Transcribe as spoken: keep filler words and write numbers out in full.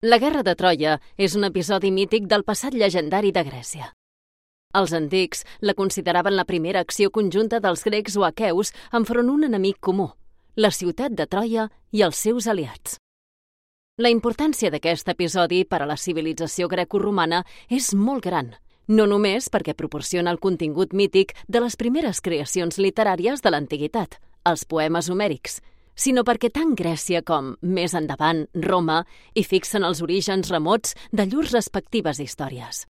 La Guerra de Troia és un episodi mític del passat llegendari de Grècia. Els antics la consideraven la primera acció conjunta dels grecs o aqueus enfront un enemic comú, la ciutat de Troia i els seus aliats. La importància d'aquest episodi per a la civilització grecoromana és molt gran, no només perquè proporciona el contingut mític de les primeres creacions literàries de l'antiguitat, els poemes homèrics, sinó perquè tant Grècia com, més endavant, Roma, hi fixen els orígens remots de llurs respectives històries.